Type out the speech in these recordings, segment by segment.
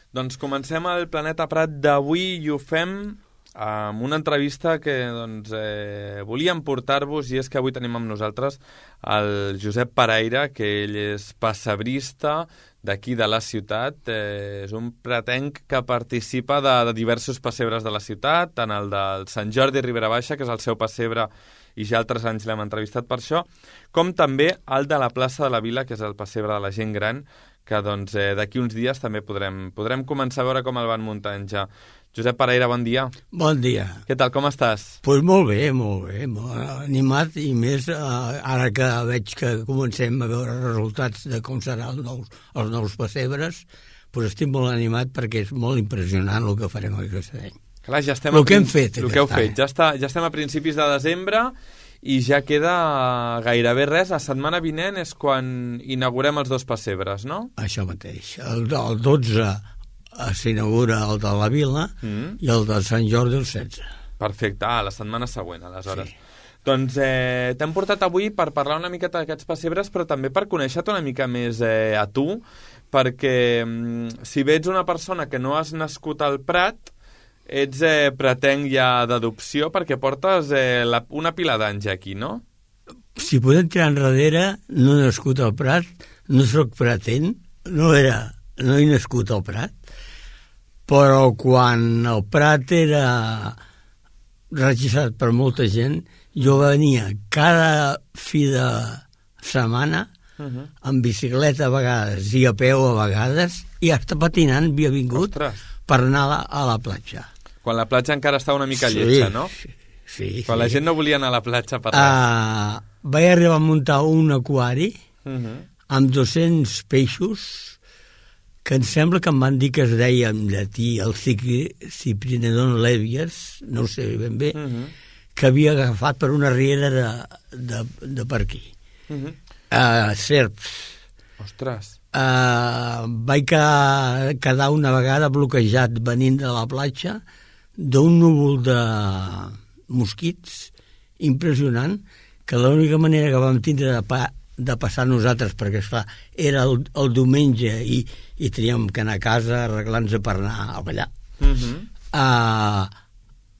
Doncs comencem el Planeta Prat d'avui i ho fem amb una entrevista que volíem portar-vos, i és que avui tenim amb nosaltres el Josep Paraire, que ell és pessebrista d'aquí de la ciutat. És un pratenc que participa de diversos pessebres de la ciutat, tant el del Sant Jordi Ribera Baixa, que és el seu pessebre, i ja altres anys l'hem entrevistat per això, com també el de la plaça de la Vila, que és el pessebre de la gent gran, que d'aquí uns dies també podrem començar a veure com el van muntant ja. Josep Paraire, bon dia. Bon dia. Què tal, com estàs? Doncs molt bé, molt animat, i més ara que veig que comencem a veure resultats de com seran els nous pessebres, doncs estic molt animat perquè és molt impressionant el que farem aquest any. Clar, ja estem el que hem fet. El que heu fet. Ja estem a principis de desembre i ja queda gairebé res. La setmana vinent és quan inaugurem els dos pessebres, no? Això mateix. El 12 s'inaugura el de la Vila i el de Sant Jordi el 16. Perfecte, la setmana següent, aleshores. Sí. Doncs t'hem portat avui per parlar una miqueta d'aquests pessebres, però també per conèixer-te una mica més a tu, perquè si bé ets una persona que no has nascut al Prat, ets pratenc ja d'adopció, perquè portes una pila d'anys aquí, no? Si podem tirar enrere, no he nascut al Prat, no soc pratenc, no he nascut al Prat, però quan el Prat era registrat per molta gent, jo venia cada fi de setmana amb bicicleta a vegades i a peu a vegades, i hasta patinant havia vingut. Ostres. Per anar a la platja. Quan la platja encara estava una mica lletja, no? Sí. Quan la gent no volia anar a la platja per res. Vaig arribar a muntar un aquari amb 200 peixos, que em sembla que em van dir que es deia en llatí el Cyprinodon levias, no ho sé ben bé, que havia agafat per una riera de per aquí. Serps. Ostres. Vaig quedar una vegada bloquejat venint de la platja d'un núvol de mosquits impressionant, que l'única manera que vam tindre de passar nosaltres, perquè esclar, era el diumenge i teníem que anar a casa arreglant-nos per anar a ballar.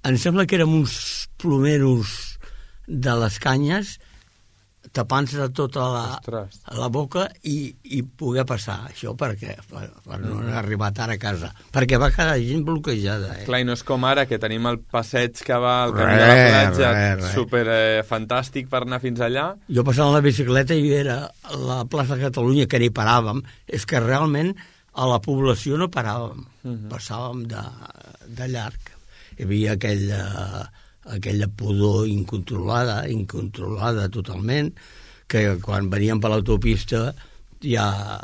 Em sembla que érem uns plomeros de les canyes tapant-se de tota la boca i poder passar això per no arribar tard a casa, perquè va quedar gent bloquejada. Clar, i no és com ara, que tenim el passeig que va al camí de la platja, super fantàstic per anar fins allà. Jo passava la bicicleta i era la plaça de Catalunya, que ni paràvem. És que realment a la població no paràvem, passàvem de llarg. Hi havia aquella pudor incontrolada totalment, que quan veníem per l'autopista ja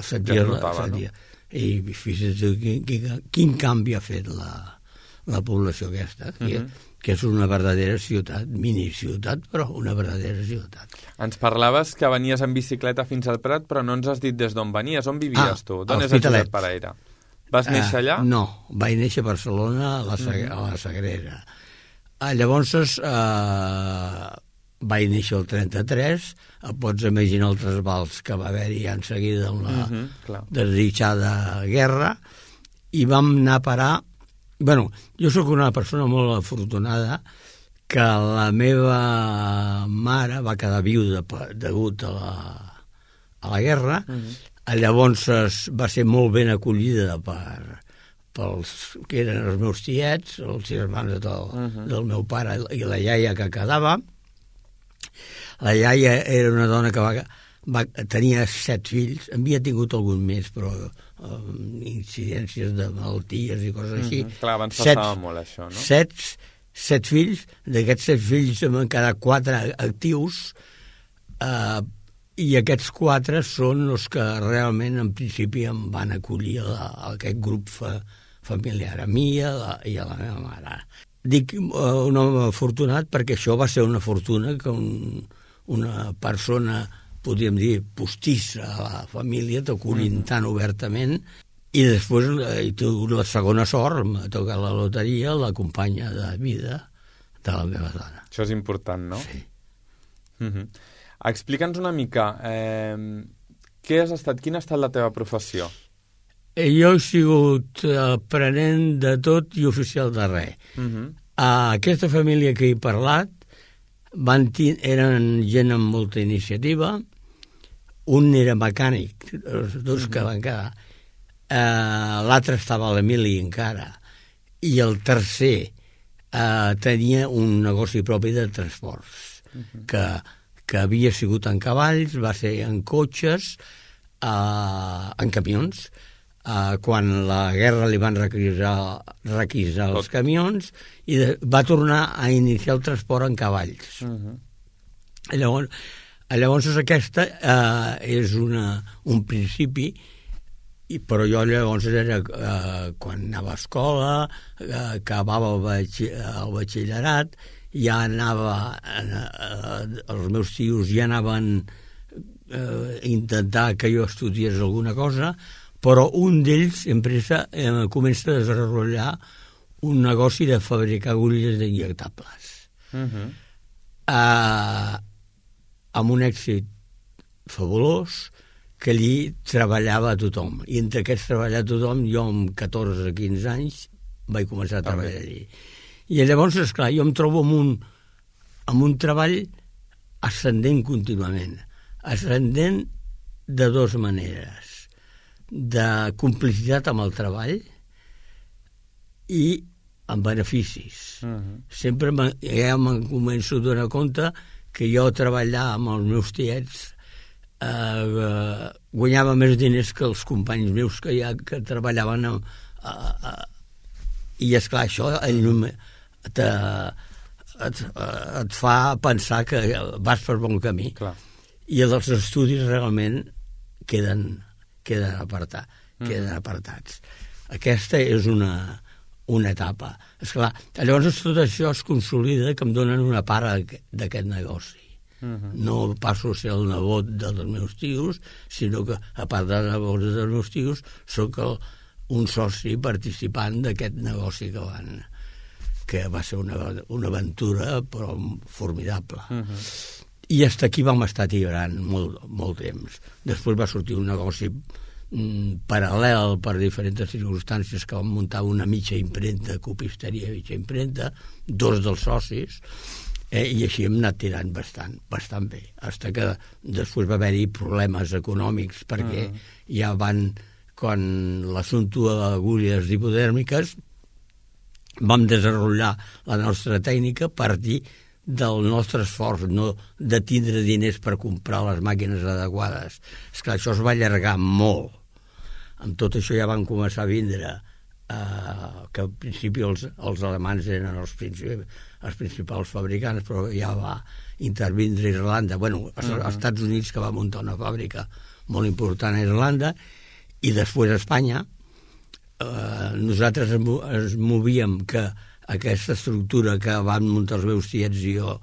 sentia. I fixa't quin canvi ha fet la població aquesta, que és una verdadera ciutat, miniciutat, però una verdadera ciutat. Ens parlaves que venies en bicicleta fins al Prat, però no ens has dit des d'on venies. On vivies tu? D'on és el Josep Paraire? Vas néixer allà? No, vaig néixer a Barcelona, a la Sagrera. Llavors vaig néixer el 33, pots imaginar els trasbals que va haver-hi en seguida amb la desdichada guerra, i vam anar a parar. Bueno, jo sóc una persona molt afortunada, que la meva mare va quedar viuda degut a la guerra. Llavors va ser molt ben acollida pels que eren els meus tiets, els germans del meu pare i la iaia que quedava. La iaia era una dona que tenia 7 fills, havia tingut algun més, però incidències de malalties i coses així. Clar, abans passava molt això, no? 7 fills, d'aquests 7 fills en van quedar 4 actius, i aquests 4 són els que realment en principi em van acollir a aquest grup familiar, a mi i a la meva mare. Dic un home afortunat perquè això va ser una fortuna que una persona, podríem dir, postissa a la família t'acullin tan obertament, i després la segona sort, m'ha tocat la loteria, la companya de vida de la meva dona. Això és important, no? Sí. Explica'ns una mica, quina ha estat la teva professió? Jo he sigut aprenent de tot i oficial de res. Aquesta família que he parlat eren gent amb molta iniciativa. Un era mecànic, els dos que van quedar. L'altre estava a l'Emili encara. I el tercer tenia un negoci propi de transports, que havia sigut en cavalls, va ser en cotxes, en camions. Quan la guerra li van requisar els camions i va tornar a iniciar el transport en cavalls. Llavors aquesta és un principi, però jo llavors era quan anava a escola, acabava el batxillerat, ja anava, els meus tios ja anaven a intentar que jo estudiés alguna cosa, però un d'ells comença a desenvolupar un negoci de fabricar agulles injectables. Amb un èxit fabulós, que allí treballava tothom. I entre aquests treballar tothom, jo amb 14 o 15 anys vaig començar a treballar allí. I llavors, esclar, jo em trobo amb un treball ascendent contínuament. Ascendent de dues maneres. De complicitat amb el treball i amb beneficis. Sempre ja me'n començo a donar compte que jo treballar amb els meus tiets guanyava més diners que els companys meus que treballaven i esclar, això et fa pensar que vas per bon camí. I els estudis realment queden apartats. Aquesta és una etapa. Esclar, llavors tot això es consolida que em donen una part d'aquest negoci. No passo a ser el nebot dels meus tios, sinó que, a part de nebot dels meus tios, soc un soci participant d'aquest negoci que va ser una aventura, però formidable. I fins aquí vam estar tirant molt temps. Després va sortir un negoci paral·lel per diferents circumstàncies, que vam muntar una mitja impremta, copisteria mitja impremta, dos dels socis, i així hem anat tirant bastant bé, fins que després va haver-hi problemes econòmics, perquè ja quan l'assumpte de les agulles hipodèrmiques, vam desenvolupar la nostra tècnica a partir del nostre esforç, no de tindre diners per comprar les màquines adequades. Esclar, això es va allargar molt. Amb tot això ja van començar a vindre, que al principi els alemans eren els principals fabricants, però ja va intervindre Irlanda, als Estats Units, que va muntar una fàbrica molt important a Irlanda, i després a Espanya. Nosaltres ens movíem que aquesta estructura que van muntar els meus tiets i jo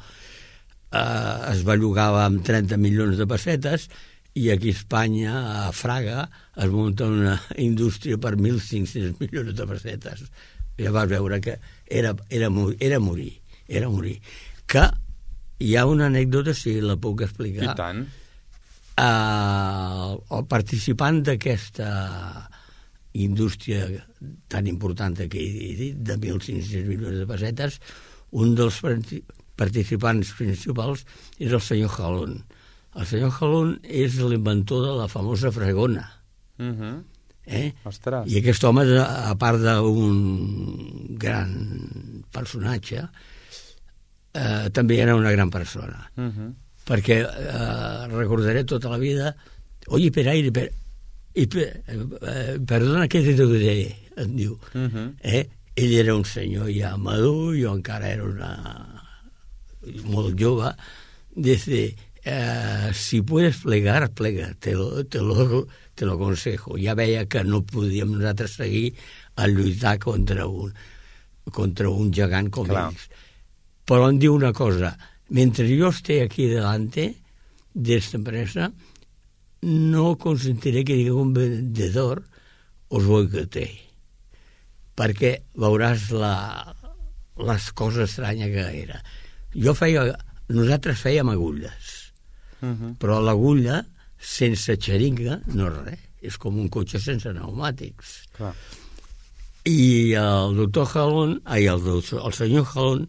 es bellugava amb 30 milions de pessetes, i aquí a Espanya, a Fraga, es munta una indústria per 1.500 milions de pessetes. Ja vas veure que era morir. Que hi ha una anècdota, si la puc explicar. I tant. El participant d'aquesta indústria tan important que he dit, de 1.500 milions de pessetes, un dels participants principals és el senyor Jalón. El senyor Jalón és l'inventor de la famosa fregona. Ostres. I aquest home, a part d'un gran personatge, també era una gran persona. Perquè recordaré tota la vida, oye, perdona, què te diré, em diu. Ell era un senyor ja madur, jo encara era molt jove. Dice, si puedes plegar, plega, te lo aconsejo. Ja veia que no podíem nosaltres seguir a lluitar contra un gegant com ells. Però em diu una cosa, mentre yo esté aquí delante de esta empresa, no consentiré que ningún vendedor os boicotee, perquè veuràs les coses estranyes que era. Nosaltres fèiem agulles, però l'agulla sense xeringa no és res, és com un cotxe sense pneumàtics. Clar. I el doctor Jalón, el senyor Jalón,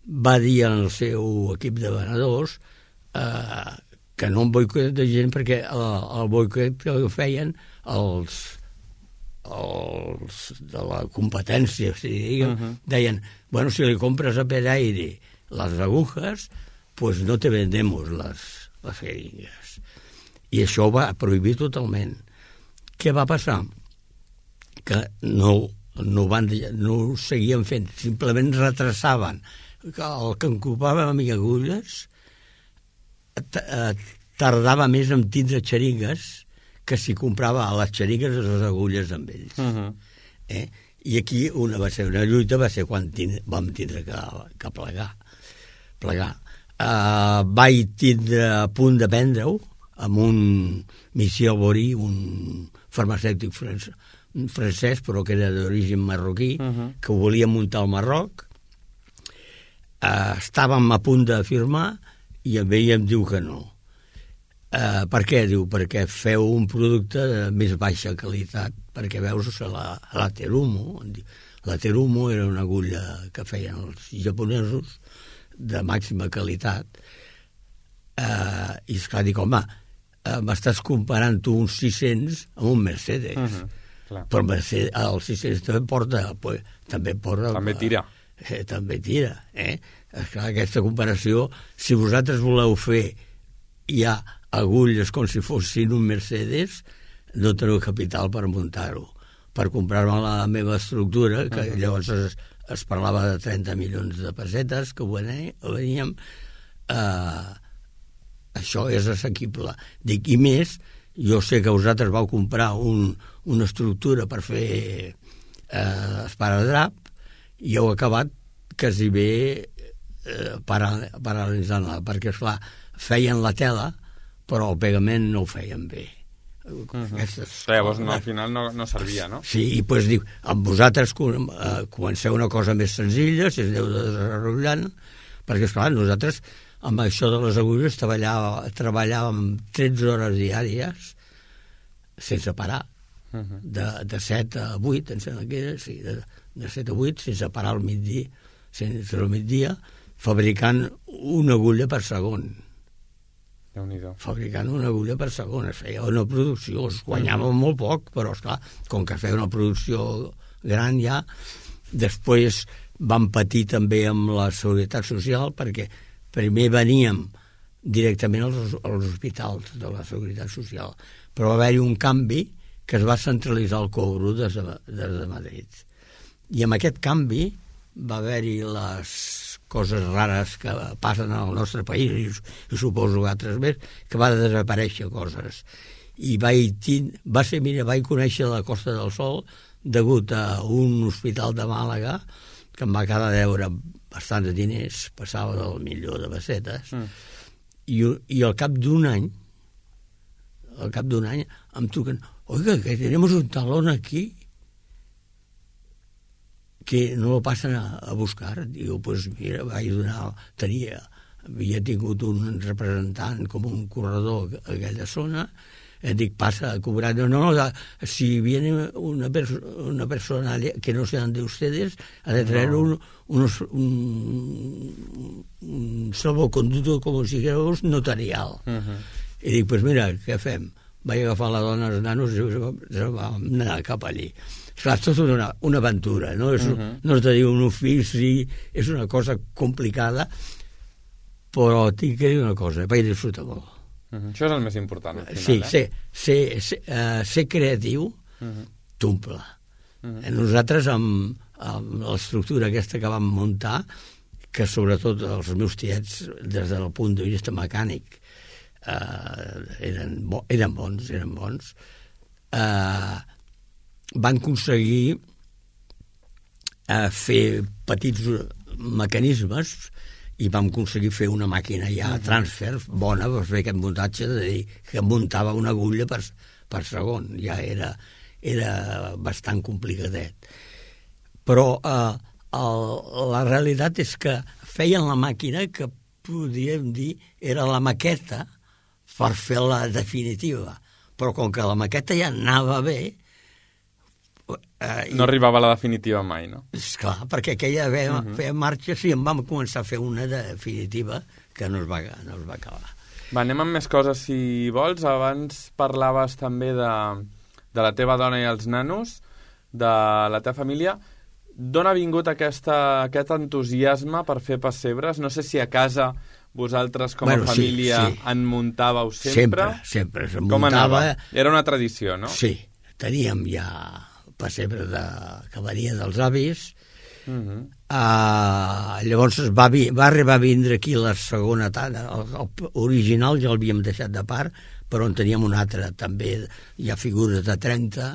va dir al seu equip de venedors que no un boicot de gent, perquè el boicot que feien els de la competència, deien, bueno, si li compres a Peraire les agujas, pues no te vendemos les jeringues. I això ho va prohibir totalment. Què va passar? Que no ho seguien fent, simplement retrasaven. El que ocupava amb agulles tardava més en tindre xeringues que si comprava a les xeringues les agulles amb ells. I aquí va ser una lluita, va ser quan vam tindre que plegar. Vaig tindre a punt de prendre-ho amb un Michel Bory, un farmacèutic francès, però que era d'origen marroquí, que ho volia muntar al Marroc. Estàvem a punt de firmar i ell em diu que no. Per què? Diu, perquè feu un producte de més baixa qualitat, perquè veus la Terumo. La Terumo era una agulla que feien els japonesos de màxima qualitat. I esclar, dic, home, m'estàs comparant tu uns 600 amb un Mercedes. Però el 600 també porta... També tira. També tira. Esclar, aquesta comparació, si vosaltres voleu fer ja agulles com si fossin un Mercedes, no teniu capital per muntar-ho. Per comprar-me la meva estructura, que llavors es parlava de 30 milions de pessetes, que veníem... això és assequible. Dic, i més, jo sé que vosaltres vau comprar una estructura per fer esparadrap i heu acabat quasi bé paralitzant-la, perquè, esclar, feien la tela, però el pegament no ho feien bé. Llavors, al final no servia, no? Sí, i doncs diu, amb vosaltres comenceu una cosa més senzilla, si es aneu desenvolupant, perquè, esclar, nosaltres amb això de les agulles treballàvem 13 hores diàries sense parar, de 7 a 8, em sembla que era, sí, de 7 a 8, sense parar al migdia, fabricant una agulla per segon. Fabricant una agulla per segon. Es feia una producció, es guanyava molt poc, però, esclar, com que feia una producció gran ja, després vam patir també amb la Seguretat Social, perquè primer veníem directament als hospitals de la Seguretat Social, però va haver-hi un canvi que es va centralitzar el cobro des de Madrid. I amb aquest canvi va haver-hi les coses rares que passen al nostre país, i suposo que altres més, que va desaparèixer coses. I vaig conèixer la Costa del Sol degut a un hospital de Màlaga que em va quedar a deure bastants diners, passava del milió de pessetes, i al cap d'un any em truquen, oiga, que tenemos un talón aquí que no lo pasan a buscar. Digo, pues mira, havia tingut un representant com un corredor a aquella zona, dic, pasa a cobrar. No, si viene una persona que no sean de ustedes, ha de traer un salvoconducto, com si fos notarial. I dic, pues mira, què fem? Vaig agafar la dona, els nanos, i vam anar cap allí. Clar, és tota una aventura, no? No es de dir un ofici, és una cosa complicada, però tinc que dir una cosa, vaig disfrutar molt. Això és el més important, al final, ser creatiu t'omple. Nosaltres, amb l'estructura aquesta que vam muntar, que sobretot els meus tiets, des del punt de vista mecànic, eren bons, van aconseguir fer petits mecanismes i vam aconseguir fer una màquina ja transfer bona per fer aquest muntatge, de dir que muntava una agulla per segon, ja era bastant complicadet. Però la realitat és que feien la màquina que podríem dir era la maqueta per fer la definitiva, però com que la maqueta ja anava bé... no arribava a la definitiva mai, no? Esclar, perquè aquella feia marxa, sí, en vam començar a fer una definitiva que no es va acabar. Va, anem amb més coses, si vols. Abans parlaves també de la teva dona i els nanos, de la teva família. D'on ha vingut aquest entusiasme per fer pessebres? No sé si a casa vosaltres com a família en muntàveu sempre. Sempre. Com anava? Era una tradició, no? Sí, teníem ja pessebre que venia dels avis. Llavors va arribar a vindre aquí la segona tanda. Original ja l'havíem deixat de part, però en teníem una altra també. Hi ha figures de 30,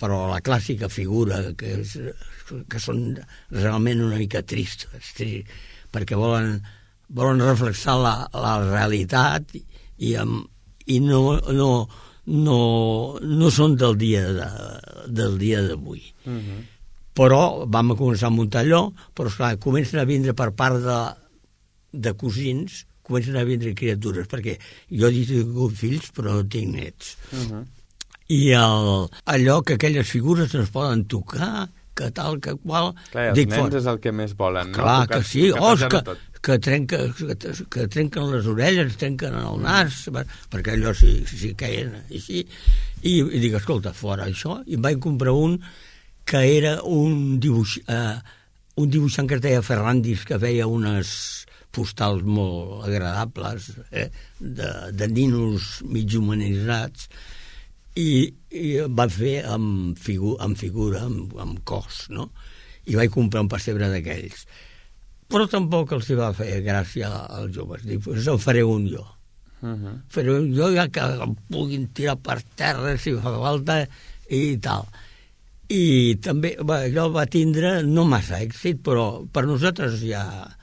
però la clàssica figura que són realment una mica tristes, perquè volen reflexar la realitat i no són del dia d'avui. Però vam començar a muntar allò, però esclar, comencen a vindre per part de cosins, comencen a vindre criatures, perquè jo he tingut fills però no tinc nets. I allò que aquelles figures no es poden tocar, que tal, que qual... Clar, els nens és el que més volen, no? Clar, que sí, que trenquen les orelles, trenquen el nas, perquè allò sí queien així. I dic, escolta, fora això, i em vaig comprar un que era un dibuixant que es deia Ferrandis, que feia unes postals molt agradables, de ninos mig humanitzats, i va fer amb figura, amb cos, no? I vaig comprar un pessebre d'aquells. Però tampoc els va fer gràcia als joves. Dic, doncs en faré un jo. Faré un jo ja que em puguin tirar per terra si fa falta i tal. I també allò va tindre no massa èxit, però per nosaltres ja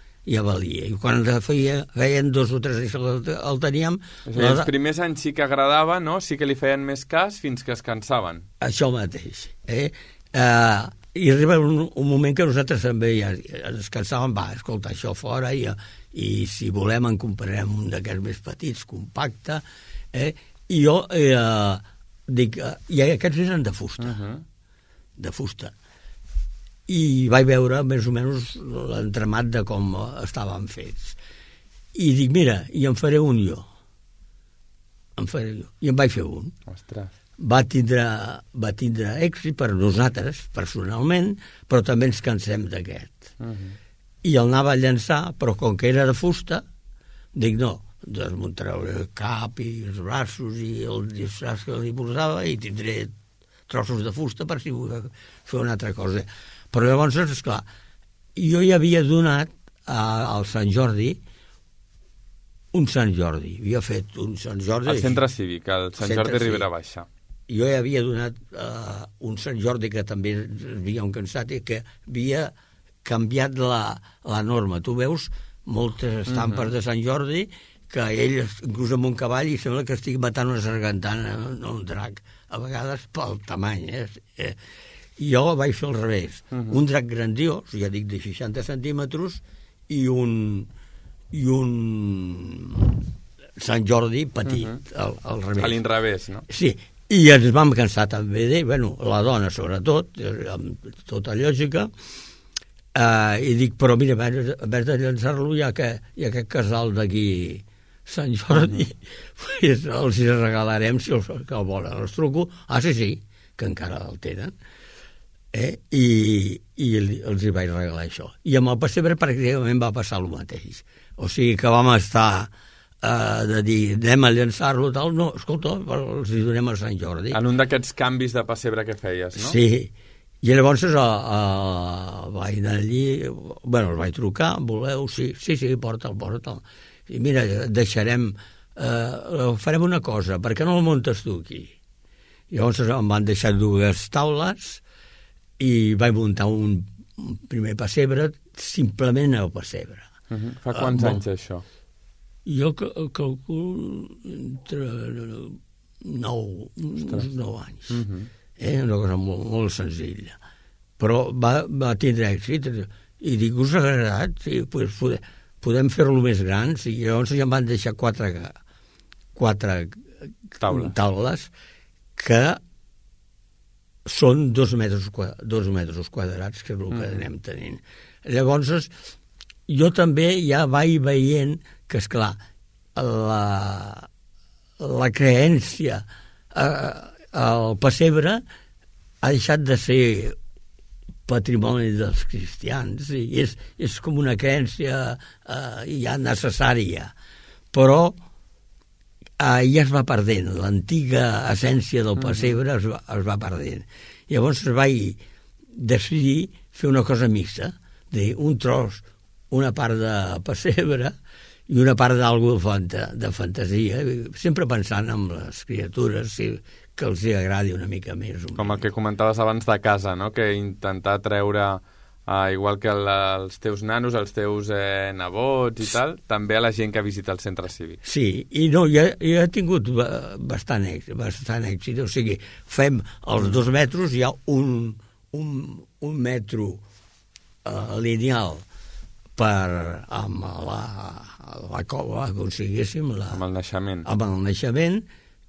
valia. I quan feien 2 o 3 anys el teníem... Els primers anys sí que agradava, no? Sí que li feien més cas fins que es cansaven. Això mateix. I arriba un moment que nosaltres també ja ens cansàvem, escolta, això fora, i si volem en comprarem un d'aquests més petits, compacte, i jo dic, i aquests eren de fusta, de fusta. I vaig veure més o menys l'entramat de com estaven fets. I dic, mira, i en faré un jo. I en vaig fer un. Ostres. Va tindre èxit per nosaltres, personalment, però també ens cansem d'aquest. I el anava a llançar, però com que era de fusta, dic, no, desmuntaré el cap i els braços i el disfraç que li posava i tindré trossos de fusta per si vull fer una altra cosa. Però llavors, esclar, jo ja havia donat al Sant Jordi un Sant Jordi. Havia fet un Sant Jordi... Al centre cívic, al Sant Jordi Ribera Baixa. Jo ja havia donat un Sant Jordi que també havíem cansat i que havia canviat la norma. Tu veus moltes estampes de Sant Jordi que ell, inclús amb un cavall, i sembla que estigui matant una sargantana, no un drac, a vegades pel tamany. Jo vaig fer al revés. Un drac grandiós, ja dic de 60 centímetres, i un Sant Jordi petit, al revés. A l'inrevés, no? Sí, i ens vam cansar també la dona sobretot, amb tota lògica, i dic, però mira, en vez de llançar-lo hi ha aquest casal d'aquí Sant Jordi, pues els hi regalarem si els que el volen. Els truco, sí, que encara el tenen, i els hi vaig regalar això. I amb el pessebre pràcticament va passar el mateix. O sigui que vam estar de dir, anem a llançar-lo, tal, no, escolta, els hi donem a Sant Jordi. En un d'aquests canvis de pessebre que feies, no? Sí, i llavors vaig anar allí, el vaig trucar, voleu? Sí, porta'l. I mira, farem una cosa, per què no el muntes tu aquí? I llavors em van deixar 2 taules i vaig muntar un primer pessebre, simplement el pessebre. Fa quants anys això? Jo calculo entre 9 anys. Una cosa molt senzilla. Però va tindre èxit. I dic, us ha agradat? Sí, podem fer-lo més gran. I llavors ja em van deixar 4 taules que són 2 metres quadrats, que és el que anem tenint. Llavors, jo també ja vaig veient que, esclar, la creència al pessebre ha deixat de ser patrimoni dels cristians, i és com una crència ja necessària, però ja es va perdent, l'antiga essència del pessebre es va perdent. Llavors vaig decidir fer una cosa mixta, dir un tros, una part de pessebre i una part d'algú de fantasia, sempre pensant en les criatures, que els agradi una mica més. Com el que comentaves abans de casa, no? Que intentar treure, igual que els teus nanos, els teus nebots i tal, també a la gent que visita el centre cívic. Sí, i no, ja he tingut bastant èxit. O sigui, fem els 2 metres, hi ha un metro lineal amb la cova, aconseguíssim, amb el naixement,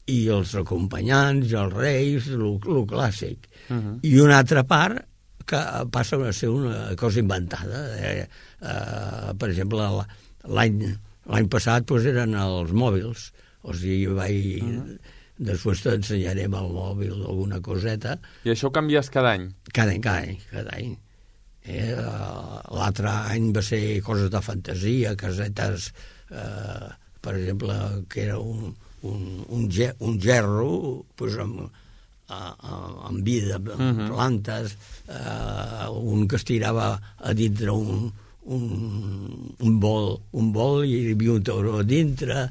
i els acompanyants, i els reis, el clàssic. I una altra part que passa a ser una cosa inventada. Per exemple, l'any passat eren els mòbils. O sigui, després t'ensenyarem el mòbil, alguna coseta. I això ho canvies cada any? Cada any. L'altre any va ser coses de fantasia, casetes, per exemple, que era un gerro, doncs, amb vida, amb plantes, un que es tirava a dintre un bol i hi havia un tauró a dintre,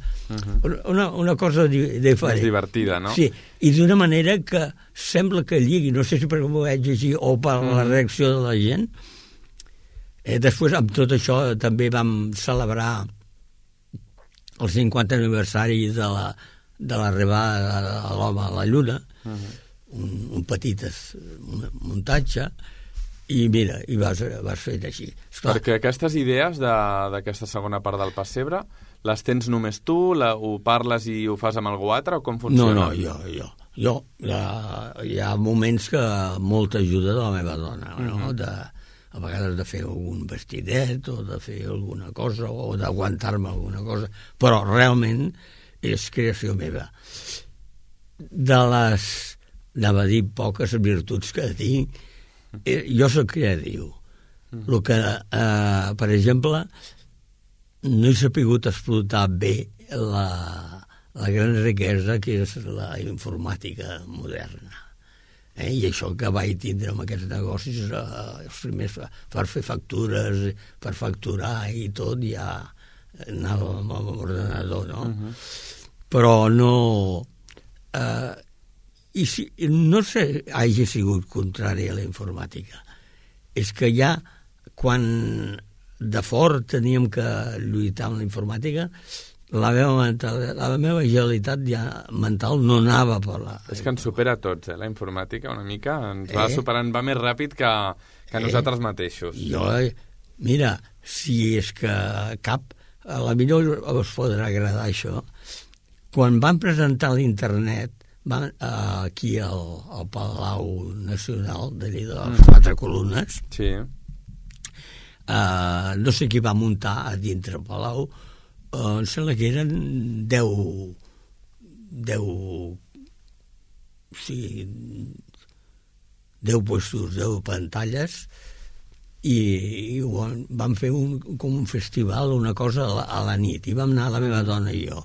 una cosa diferent. És divertida, no? Sí, i d'una manera que sembla que lligui, no sé si perquè m'ho veig així o per la reacció de la gent. Després, amb tot això, també vam celebrar el 50 aniversari de l'arribada de l'home a la Lluna, un petit muntatge, i mira, i vas fent així. Esclar. Perquè aquestes idees d'aquesta segona part del pessebre, les tens només tu, ho parles i ho fas amb algú altre, o com funciona? No, jo. Hi ha moments que molta ajuda de la meva dona, no? A vegades de fer algun vestidet o de fer alguna cosa o d'aguantar-me alguna cosa, però realment és creació meva. De les, anava a dir, poques virtuts que tinc, jo soc creatiu. El que, per exemple, no he sabut explotar bé la gran riquesa que és la informàtica moderna. I això que vaig tindre amb aquests negocis, els primers per fer factures, per facturar i tot, ja anava amb l'ordenador, no? Però no... I si, no sé, hagi sigut contrari a la informàtica. És que ja, quan de fort teníem que lluitar amb la informàtica, la meva agilitat ja mental no anava per la... És que ens supera a tots, la informàtica, una mica. Ens va superant, va més ràpid que nosaltres mateixos. Mira, si és que a la millor us podrà agradar això, quan van presentar l'internet, aquí al Palau Nacional, d'allí de les 4 columnes, sí. No sé qui va muntar a dintre el Palau, em sembla que eren 10 puestos, 10 pantalles, i vam fer com un festival, una cosa a la nit, i vam anar la meva dona i jo.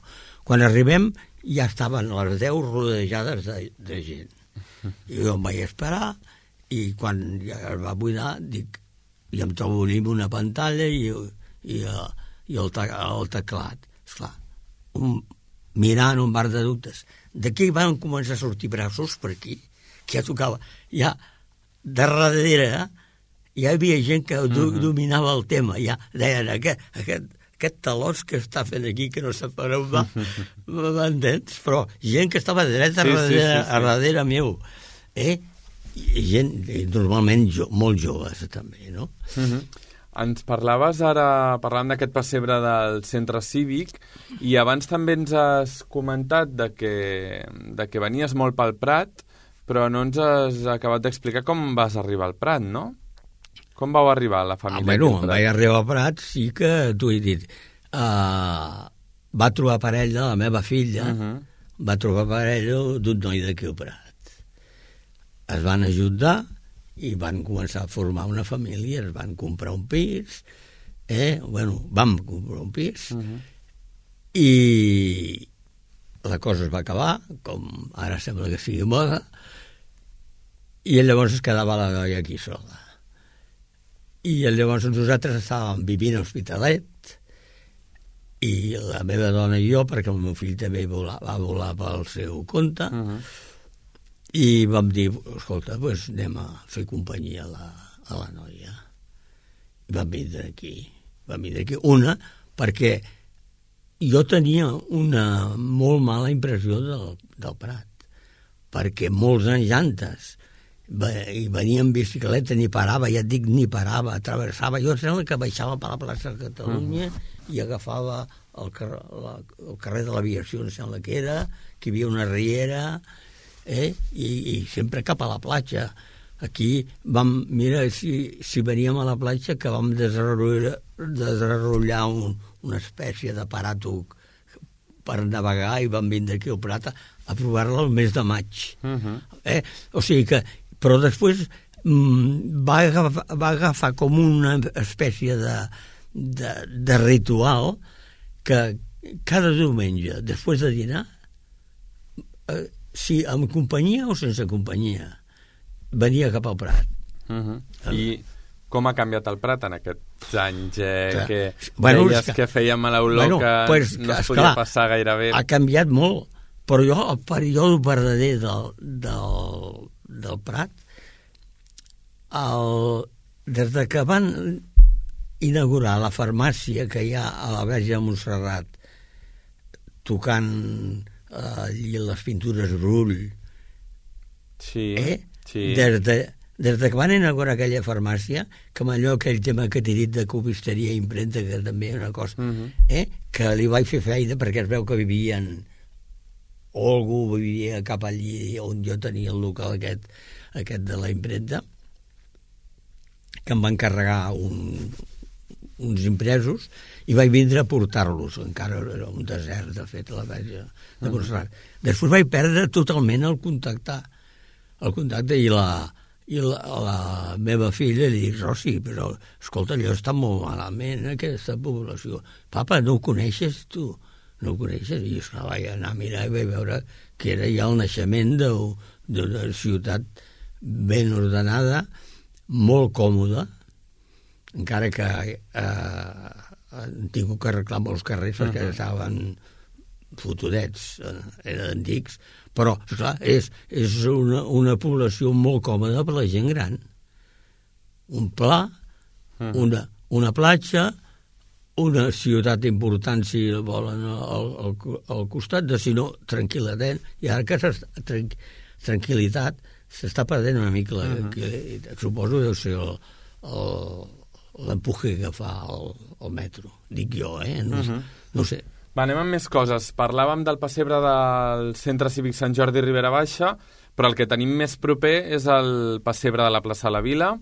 Quan arribem ja estaven les 10 rodejades de gent. I jo em vaig esperar, i quan ja es va buidar, dic, i em trobo una pantalla i el teclat. Esclar, mirant un bar de dubtes. D'aquí van començar a sortir braços per aquí, que ja tocava. Ja, de darrere, ja hi havia gent que dominava el tema. Ja deien, aquest talòs que està fent aquí, que no sap per on va, m'entens? Però gent que estava dreta a darrere meu. Gent, normalment, molt joves, també, no? ens parlaves ara, parlant d'aquest pessebre del centre cívic, i abans també ens has comentat de que venies molt pel Prat, però no ens has acabat d'explicar com vas arribar al Prat, no? Com vau arribar a la família? Bueno, vaig arribar al Prat, sí que t'ho he dit. Va trobar parella, la meva filla, va trobar parella d'un noi d'aquí al Prat. Es van ajudar i van començar a formar una família, es van comprar un pis, vam comprar un pis, i la cosa es va acabar, com ara sembla que sigui moda, i llavors es quedava la noia aquí sola. I llavors nosaltres estàvem vivint a Hospitalet, i la meva dona i jo, perquè el meu fill també va volar pel seu compte, i vam dir, escolta, doncs anem a fer companyia a la noia. I vam vindre aquí. Una, perquè jo tenia una molt mala impressió del Prat, perquè molts anys antes i venia en bicicleta, ni parava, ja et dic, ni parava, travessava. Jo sembla que baixava per la plaça de Catalunya i agafava el carrer de l'Aviació, em sembla que era, que hi havia una riera, i sempre cap a la platja. Aquí mira, si veníem a la platja, que vam desenrotllar una espècie d'aparato per navegar i vam vindre aquí al Prat a provar-la el mes de maig. O sigui que, però després va agafar com una espècie de ritual que cada diumenge, després de dinar, si amb companyia o sense companyia, venia cap al Prat. I com ha canviat el Prat en aquests anys que deies que feia mala olor, que no es podia passar gaire bé? Ha canviat molt, però jo el període verdader del Prat, des de que van inaugurar la farmàcia que hi ha a la Verge de Montserrat, tocant i les pintures Brull, des que van inaugurar aquella farmàcia, que amb allò, aquell tema que t'he dit de copisteria i impremta, que també és una cosa, que li vaig fer feina perquè es veu que vivien, o algú vivia cap allí on jo tenia el local aquest de la impremta, que em van encarregar uns impresos, i vaig vindre a portar-los. Encara era un desert, de fet, a la Verge de Montserrat. Després vaig perdre totalment el contacte, i la meva filla li dic, Rossi, però escolta, allò està molt malament, aquesta població. Papa, no ho coneixes, tu? No ho coneixes? I esclar, vaig anar a mirar i vaig veure que era ja el naixement d'una ciutat ben ordenada, molt còmoda, encara que han tingut que arreglar molts carrers perquè estaven fotudets, eren antics, però, esclar, és una població molt còmoda per la gent gran. Un pla, una platja, una ciutat important, si volen, al costat, si no, tranquil·litat, i ara que tranquil·litat s'està perdent una mica suposo deu ser l'empuje que fa el metro, dic jo, no sé. Va, anem amb més coses. Parlàvem del pessebre del Centre Cívic Sant Jordi Ribera Baixa, però el que tenim més proper és el pessebre de la plaça La Vila,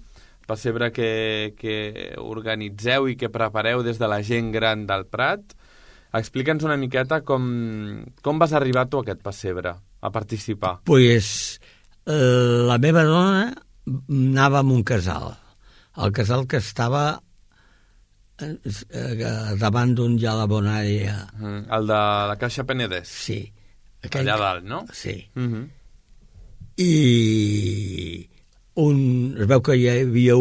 pessebre que organitzeu i que prepareu des de la gent gran del Prat. Explica'ns una miqueta com vas arribar tu a aquest pessebre, a participar. Pues la meva dona anava a un casal, el casal que estava davant d'un ja la Bonària. El de la Caixa Penedès. Sí. Allà dalt, no? Sí. I es veu que hi havia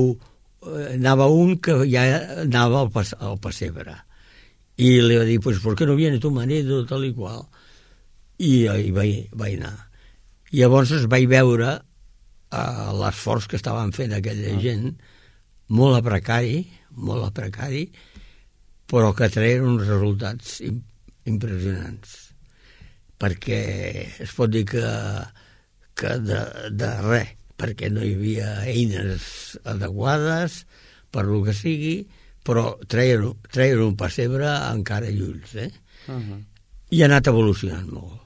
anava un que ja anava al pessebre. I li va dir, pues, ¿por qué no viene tu marido, tal i qual? I vaig anar. I llavors es vaig veure l'esforç que estaven fent aquella gent, molt a precari, però que treien uns resultats impressionants. Perquè es pot dir que de res, perquè no hi havia eines adequades per lo que sigui, però treien un pessebre encara i ulls, I ha anat evolucionant molt.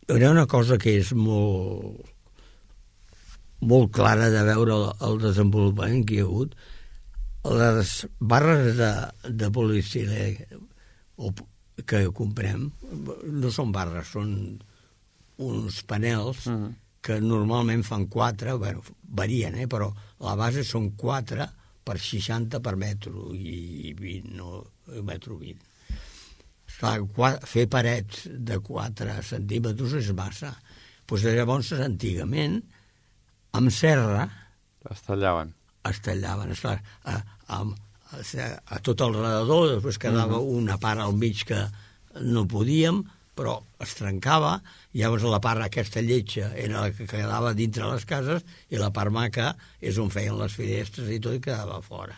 Hi ha una cosa que és molt clara de veure el desenvolupament que hi ha hagut. Les barres de poliestirè que comprem no són barres, són uns panels que normalment fan 4, bueno, varien, però la base són 4 per 60 per metro i 20, no metro 20. Fer parets de 4 centímetres és massa. Doncs llavors, antigament, amb serra es tallaven. A tot el redador, després quedava una part al mig que no podíem, però es trencava, i llavors la part aquesta lletja era la que quedava dintre les cases i la part maca és on feien les finestres i tot, i quedava fora.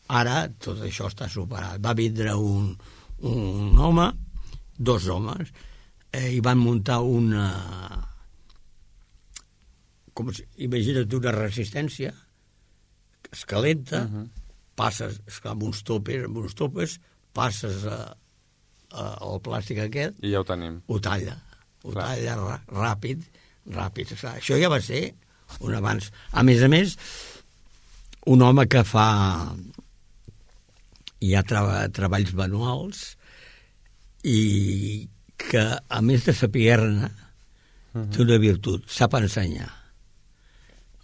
Ara tot això està superat. Va vindre un home, 2 homes, i van muntar imagina't una resistència que es calenta, passes amb uns topes, passes el plàstic aquest i ja ho tenim. Ho talla ràpid. Això ja va ser un avanç. A més, un home que fa ja treballs manuals i que, a més de saber-ne, té una virtut, sap ensenyar.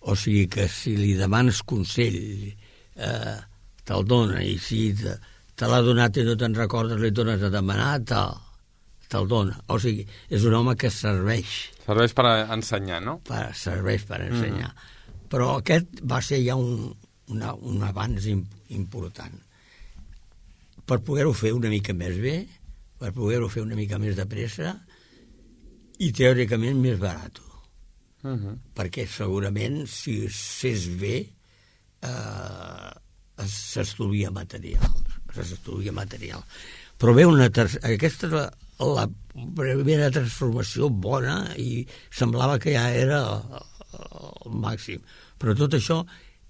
O sigui que si li demanes consell, te'l dona, i si te l'ha donat i no te'n recordes, li tornes a demanar, te'l dona. O sigui, és un home que serveix. Serveix per ensenyar, no? Serveix per ensenyar. Però aquest va ser ja un avanç important. Per poder-ho fer una mica més bé, per poder-ho fer una mica més de pressa i teòricament més barat. Perquè segurament si es fes bé s'estalvia material. Però bé, aquesta és la primera transformació bona i semblava que ja era el màxim. Però tot això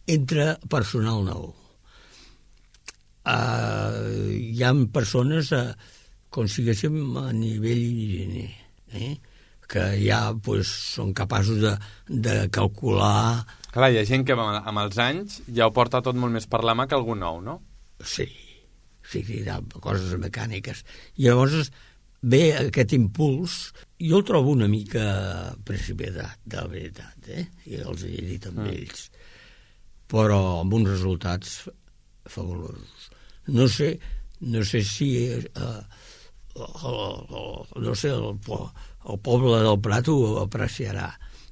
entra personal nou. Hi ha persones, com si diguéssim, a nivell higiene, que ja són capaços de calcular... Clar, hi ha gent que amb els anys ja ho porta tot molt més per la mà que algú nou, no? Sí, hi ha coses mecàniques. I llavors ve aquest impuls, jo el trobo una mica precipitat, de la veritat, i els he dit amb ells, però amb uns resultats fabulosos. No sé si el poble del Prat ho apreciarà,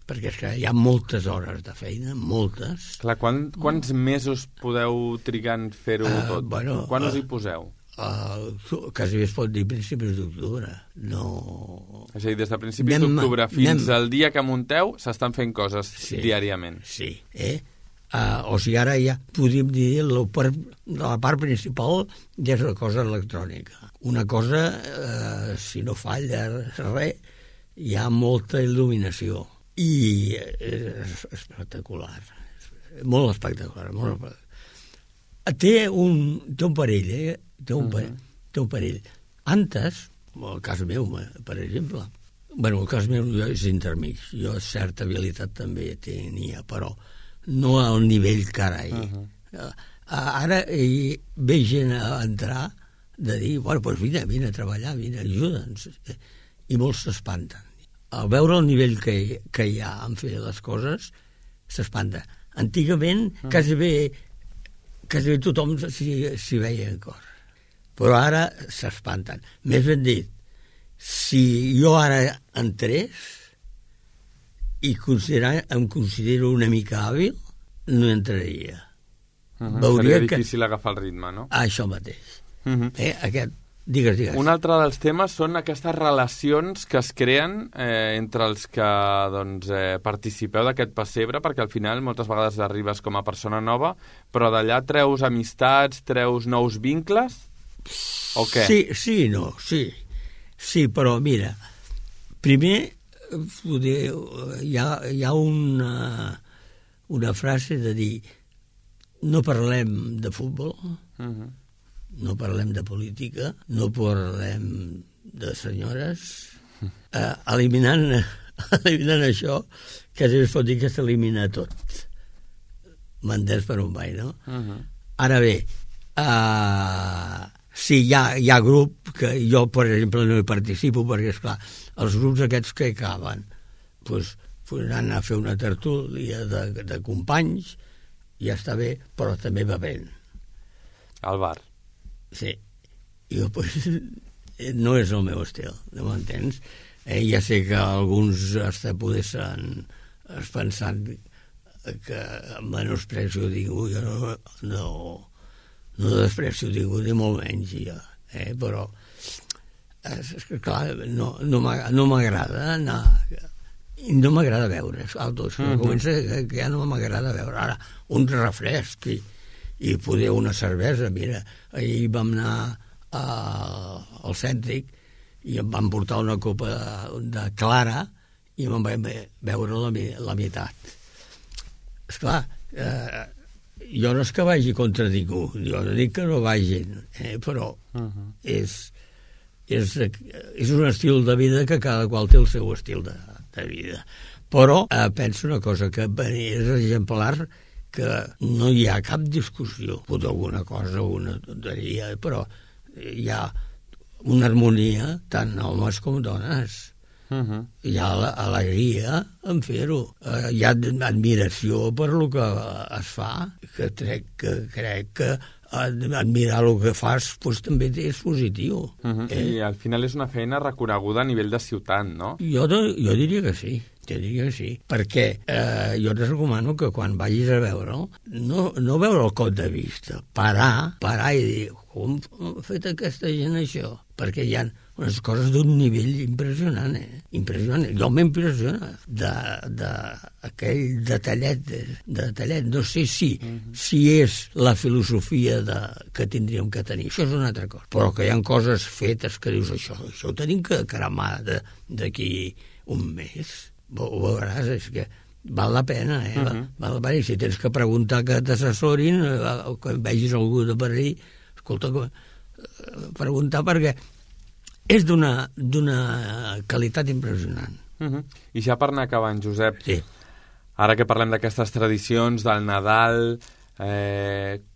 perquè és que hi ha moltes hores de feina, moltes. Clar, quants mesos podeu trigar en fer-ho tot? Quan us hi poseu? Quasi bé es pot dir principis d'octubre. No... És a dir, des de principis d'octubre fins al dia que munteu s'estan fent coses diàriament. Sí, o sigui, ara ja podríem dir la part principal ja és una cosa electrònica. Una cosa, si no falla res, hi ha molta il·luminació. I és espectacular. Molt espectacular. Té un parell, té un parell. Antes, el cas meu, per exemple, el cas meu és intermig. Jo certa habilitat també tenia, però no al nivell que ara hi. Ara ve gent a entrar de dir, doncs vine a treballar, vine, ajuda'ns. I molts s'espanten. Al veure el nivell que hi ha en fer les coses, s'espanta. Antigament, quasi bé tothom s'hi veia en cor. Però ara s'espanten. Més ben dit, si jo ara entrés i em considero una mica hàbil, no entraria. Seria difícil agafar el ritme, no? Això mateix. Digues. Un altre dels temes són aquestes relacions que es creen entre els que participeu d'aquest pessebre, perquè al final moltes vegades arribes com a persona nova, però d'allà treus amistats, treus nous vincles, o què? Sí, però mira, primer hi ha una frase de dir no parlem de futbol, no parlem de política, no parlem de senyores, eliminant això, que es pot dir que s'elimina tot. M'entens per on vaig, no? Ara bé, sí, hi ha grup que jo, per exemple, no hi participo, perquè, esclar, els grups aquests que acaben, doncs anar a fer una tertúlia de companys, ja està bé, però també va bé. Al bar. Sí. Jo, doncs, no és el meu estil, no m'entens? Ja sé que alguns hasta podessin pensar que menosprecio ningú, jo no desprecio ningú, ni molt menys, ja, però és que, clar, no m'agrada anar... No m'agrada veure, comença que ja no m'agrada veure. Ara, un refresc i poder una cervesa. Mira, ahir vam anar al Cèntric i em van portar una copa de clara i me'n vaig veure la meitat. Esclar, jo no és que vagi contra ningú, jo no dic que no vagin, però és un estil de vida que cada qual té el seu estil de vida. Però penso una cosa, que és exemplar, que no hi ha cap discussió, potser alguna cosa, una tonteria, però hi ha una harmonia tant homes com dones. Hi ha alegria en fer-ho. Hi ha admiració per el que es fa, que crec que admirar el que fas doncs, també és positiu. I al final és una feina reconeguda a nivell de ciutat, no? Jo diria que sí. Perquè jo et recomano que quan vagis a veure'l, no veure el cop de vista, parar i dir, com ha fet aquesta gent això? Perquè hi ha unes coses d'un nivell impressionant, impressionant. Jo m'impressiona d'aquell detallet. No sé si és la filosofia que tindríem que tenir. Això és una altra cosa. Però que hi ha coses fetes que dius, això ho tenim que cremar d'aquí un mes. Ho veuràs, és que val la pena, val la pena. I si tens que preguntar que t'assessorin, que vegis algú de per allà, escolta, preguntar, perquè és d'una qualitat impressionant. I ja per anar acabant, Josep, sí. Ara que parlem d'aquestes tradicions del Nadal,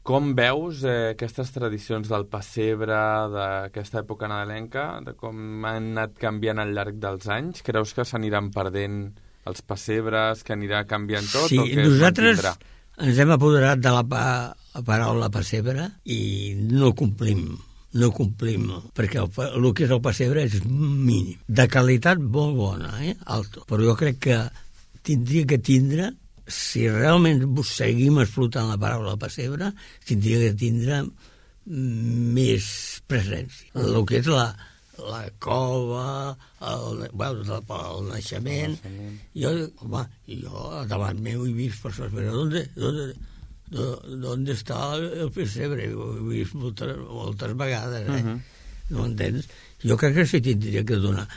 com veus aquestes tradicions del pessebre, d'aquesta època nadalenca, de com han anat canviant al llarg dels anys? Creus que s'aniran perdent els pessebres, que anirà canviant tot? Sí, o que nosaltres ens hem apoderat de la paraula pessebre i no complim, perquè el que és el pessebre és mínim. De qualitat molt bona, alto. Però jo crec que tindria que tindre, si realment seguim explotant la paraula pessebre, tindria que tindre més presència. El que és la cova, el naixement. Jo davant meu he vist persones, però ¿dónde está el pesebre? Ho he vist moltes vegades, no m'entens? Jo crec que s'hi tindria que donar.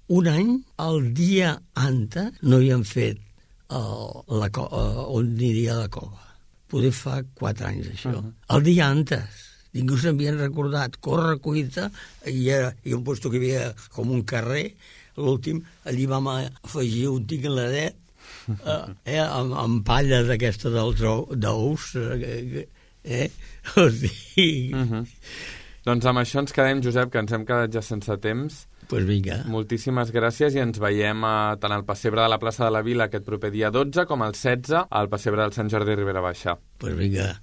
Un any, el dia antes, no havien fet on aniria la cova. Poder fa 4 anys, això. El dia antes. Ningú s'havien recordat. Corre, cuita, i un lloc que hi havia com un carrer. L'últim, allí vam afegir un tingladet amb palla d'aquesta dels ous, o sigui... Doncs amb això ens quedem, Josep, que ens hem quedat ja sense temps. Pues vinga. Moltíssimes gràcies i ens veiem tant al pessebre de la plaça de la Vila aquest proper dia 12 com el 16 al pessebre del Sant Jordi Ribera Baixa. Pues vinga.